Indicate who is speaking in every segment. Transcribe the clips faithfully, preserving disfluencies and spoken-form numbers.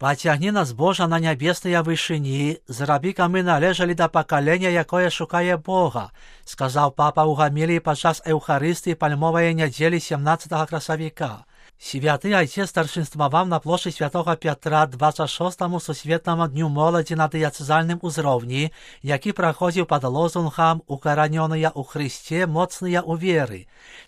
Speaker 1: Пацягні нас, Божа, на нябесныя вышыні, зрабі, каб мы належалі да пакалення, якое шукае Бога, сказаў папа ў гаміліі падчас Еўхарыстыі пальмовай нядзелі сямнаццатага красавіка. Святы Айцец старшынстваваў на плошчы святога Пятра дваццаць шостаму сусветнаму дню моладзі на дыяцэзальным узроўні, які праходзіў пад лозунгам «Укаранёныя ў Хрысце, моцныя ў веры».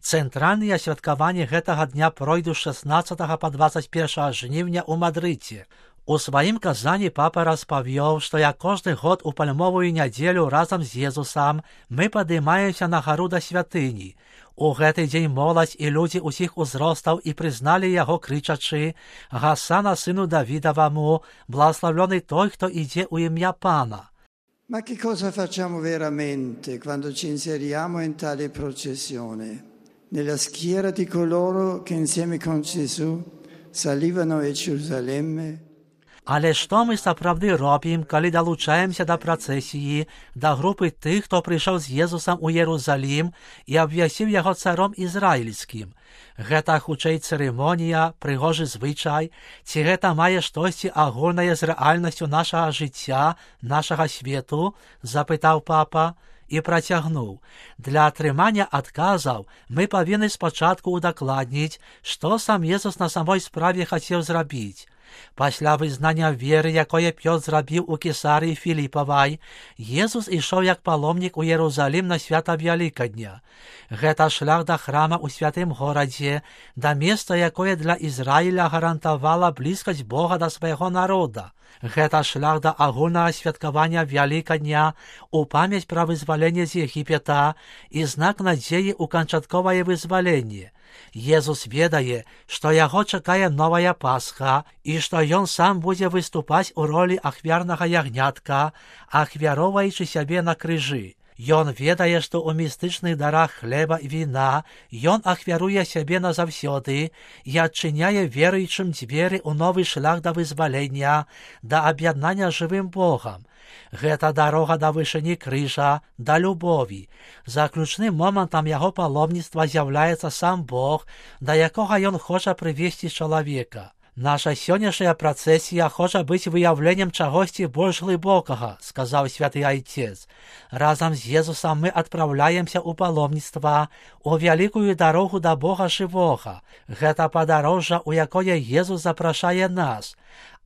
Speaker 1: Цэнтральныя святкаванні гэтага дня пройдуць шаснаццатага па дваццаць першае жніўня ў Мадрыдзе. У сваім казанні папа распавёў, што як кожны год у пальмовую нядзелю разам з Езусам мы падымаемся на гару да святыні. У гэты дзень моладзь і людзі ўсіх узростаў і прызналі яго крычачы «Гасана сыну Давідаваму, благословлений той, хто ідзе ў ім'я Пана».
Speaker 2: Ma che cosa facciamo veramente quando ci inseriamo in tale processione? Nella schiera di coloro che insieme con Gesù salivano a Gerusalemme?
Speaker 1: Але што мы сапраўды робім, калі далучаемся да працэсіі, да групы тых, хто прыйшоў з Езусам у Ерусалім і абвясціў яго царом ізраільскім? Гэта хутчэй цырымонія, прыгожы звычай, ці гэта мае штосьці агульнае з рэальнасцю нашага жыцця, нашага свету? Запытаў папа і працягнуў. Для атрымання адказаў мы павінны спачатку удакладніць, што сам Езус на самой справе хацеў зрабіць. Пасля вызнання веры, якое Пётр зрабіў у Кесарыі Філіпавай, Езус ішоў як паломнік у Ерусалім на свята Вялікадня. Гэта шлях да храма ў святым горадзе, да месца, якое для Ізраіля гарантавала блізкасць Бога да свайго народа. Гэта шлях да агульнага святкавання Вялікадня у памяць пра вызваленне з Егіпета і знак надзеі ў канчатковае вызваленне. Езус ведае, што яго чакае новая Пасха і што ён сам будзе выступаць у ролі ахвярнага ягнятка, ахвяроўваючы сябе на крыжы. Ён ведае, што ў містычных дарах хлеба і віна ён ахвяруе сябе назаўсёды і адчыняе веруючым дзверы ў новы шлях да вызвалення, да аб'яднання жывым Богам. Гэта дарога да вышыні крыжа, да любові. Заключным момантам яго паломніцтва з'яўляецца сам Бог, да якога ён хоча прывесці чалавека. Наша сённяшняя працэсія хоча быць выяўленнем чагосьці больш глыбокага, сказаў святы Айцец. Разам з Езусам мы адпраўляемся ў паломніцтва, у вялікую дарогу да Бога жывога. Гэта падарожжа, у якое Езус запрашае нас.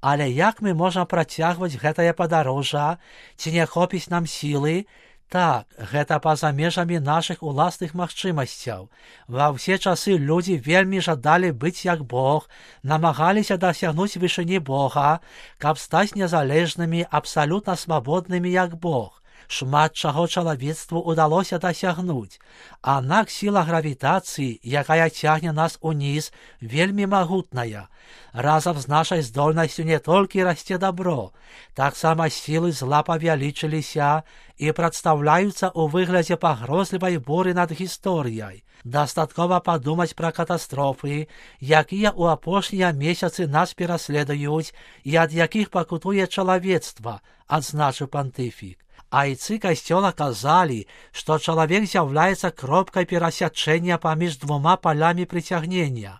Speaker 1: Але як мы можам працягваць гэтае падарожжа? Ці не хопіць нам сілы? Так, гэта па-за межамі нашых уласных магчымасцяў. Ва ўсе часы людзі вельмі жадалі быць як Бог, намагаліся дасягнуць вышыні Бога, каб стаць незалежнымі, абсалютна свабоднымі як Бог. Шмат чаго чалавецтву ўдалося дасягнуць. Аднак сіла гравітацыі, якая цягне нас уніз, вельмі магутная. Разам з нашай здольнасцю не толькі расце дабро, таксама сілы зла павялічыліся і прадстаўляюцца ў выглядзе пагрозлівай буры над гісторыяй. Дастаткова падумаць пра катастрофы, якія ў апошнія месяцы нас пераследуюць і ад якіх пакутуе чалавецтва, адзначыў пантыфік. Айцы касцёла казалі, што чалавек з'яўляецца кропкай перасячэння паміж двума палямі прыцягнення.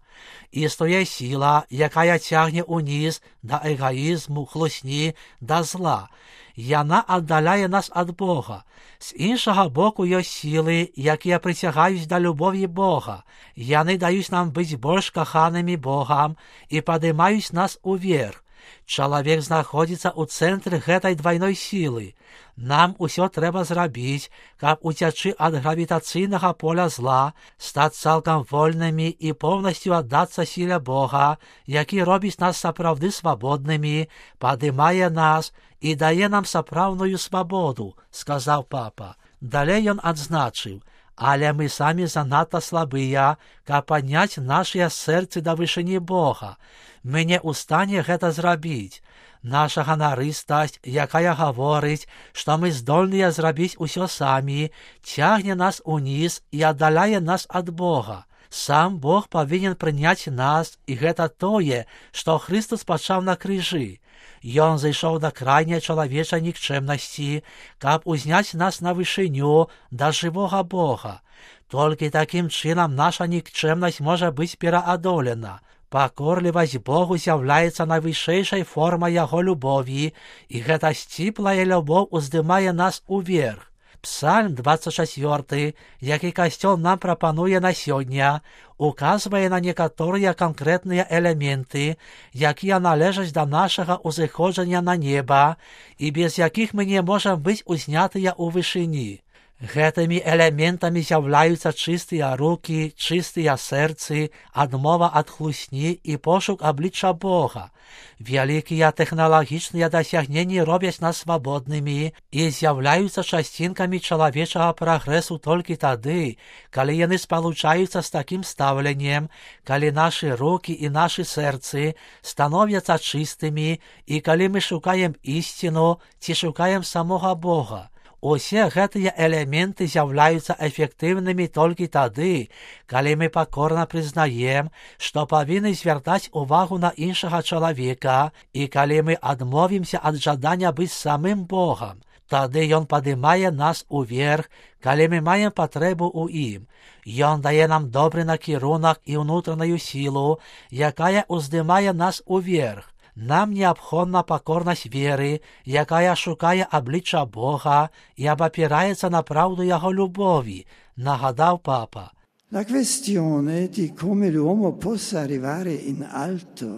Speaker 1: Існуе сіла, якая цягне ўніз да эгаізму, хлусні, да зла. Яна аддаляе нас ад Бога. З іншага боку ёсць сілы, якія прыцягаюць да любові Бога. Яны даюць нам быць больш каханымі Богам і падымаюць нас уверх. Чалавек знаходзіцца ў цэнтры гэтай двайной сілы. Нам усё трэба зрабіць, каб уцячы ад гравітацыйнага поля зла, стаць цалкам вольнымі і поўнасцю аддацца сіле Бога, які робіць нас сапраўды свабоднымі, падымае нас і дае нам сапраўдную свабоду, сказаў папа. Далей ён адзначыў: але мы самі занадта слабыя, каб падняць нашыя сэрцы да вышыні Бога. Мы не ў стане гэта зрабіць. Наша ганарыстасць, якая гаворыць, што мы здольныя зрабіць усё самі, цягне нас уніз і аддаляе нас ад Бога. Сам Бог павінен прыняць нас, і гэта тое, што Хрыстос пачаў на крыжы. Ён зайшоў да крайняй чалавечай нікчэмнасці, каб узняць нас на вышыню да жывога Бога. Толькі такім чынам наша нікчэмнасць можа быць пераадолена. Пакорлівасць Богу з'яўляецца найвышэйшай формай яго любові, і гэта сціплая любоў уздымае нас уверх. Псальм двадцать четыре, які касцёл нам прапануе на сёння, указвае на некаторыя канкрэтныя элементы, якія належаць да нашага ўзыходжання на неба і без якіх мы не можам быць узнятыя ў вышыні. Гэтымі элементамі з'яўляюцца чыстыя рукі, чыстыя сэрцы, адмова ад хлусні і пошук аблічча Бога. Вялікія тэхналагічныя дасягненні робяць нас свабоднымі і з'яўляюцца часцінкамі чалавечага прагрэсу толькі тады, калі яны спалучаюцца з такім стаўленнем, калі нашы рукі і нашы сэрцы становяцца чыстымі і калі мы шукаем ісціну ці шукаем самога Бога. Усе гэтыя элементы з'яўляюцца эфектыўнымі толькі тады, калі мы пакорна прызнаем, што павінны звяртаць увагу на іншага чалавека і калі мы адмовімся ад жадання быць самым Богам. Тады ён падымае нас уверх, калі мы маем патрэбу ў ім. Ён дае нам добры накірунак і ўнутраную сілу, якая ўздымае нас уверх. Нам неабходна пакорнасць веры, якая шукае аблічча Бога і абапіраецца на праўду яго любові, нагадаў папа.
Speaker 2: La questione di come l'uomo possa arrivare in alto,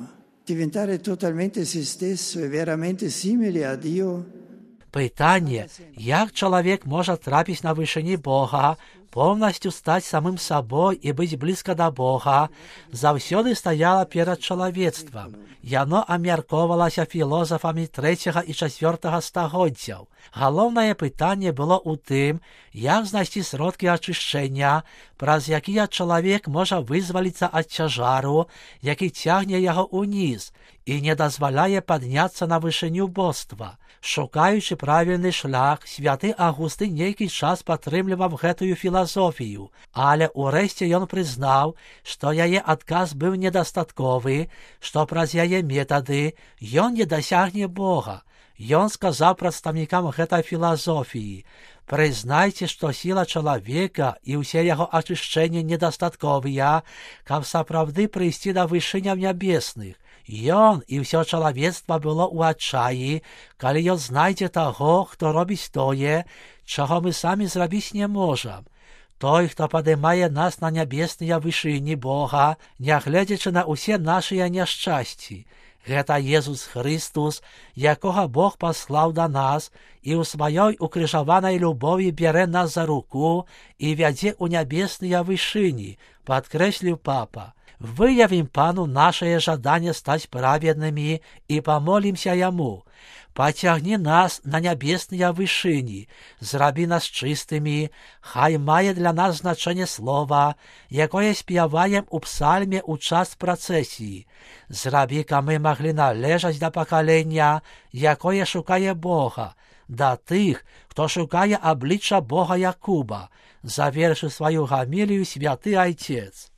Speaker 2: diventare totalmente se stesso e veramente simile a Dio.
Speaker 1: Пытанне, як чалавек можа трапіць на вышыні Бога, поўнасцю стаць самым сабой і быць блізка да Бога, заўсёды стаяла перад чалавецтвам. Яно абмяркоўвалася філозафамі трэцяга і чацвёртага стагоддзяў. Галоўнае пытанне было ў тым, як знайсці сродкі ачышчэння, праз якія чалавек можа вызваліцца ад цяжару, які цягне яго ўніз і не дазваляе падняцца на вышыню боства. Шукаючы правільны шлях, святы Августы нейкі час падтрымліваў гэтую філасофію, але ўрэшце ён прызнаў, што яе адказ быў недастатковы, што праз яе метады ён не дасягне Бога. Ён сказаў прадстаўнікам гэтай філасофіі: «Прызнайце, што сіла чалавека і ўсе яго ачышчэнні недастатковыя, каб сапраўды прыйсці да вышыняў нябесных». Ён і ўсё чалавецтва было ў адчаі, калі ён знайдзе таго, хто робіць тое, чаго мы самі зрабіць не можам. Той, хто падымае нас на нябесныя вышыні Бога, нягледзячы на ўсе нашыя няшчасці. Гэта Езус Христус, якога Бог паслаў да нас і ў сваёй укрыжаванай любові бярэ нас за руку і вядзе ў нябесныя вышыні, падкрэсліў папа. Выявім Пану нашае жаданне стаць праведнымі і памолімся Яму. Пацягні нас на нябесныя вышыні, зрабі нас чыстымі, хай мае для нас значэнне слова, якое спяваем у псальме ў час працэсіі. Зрабі, каб мы маглі належаць да пакалення, якое шукае Бога, да тых, хто шукае аблічча Бога Якуба, завершыў сваю гамілію святы Айцец.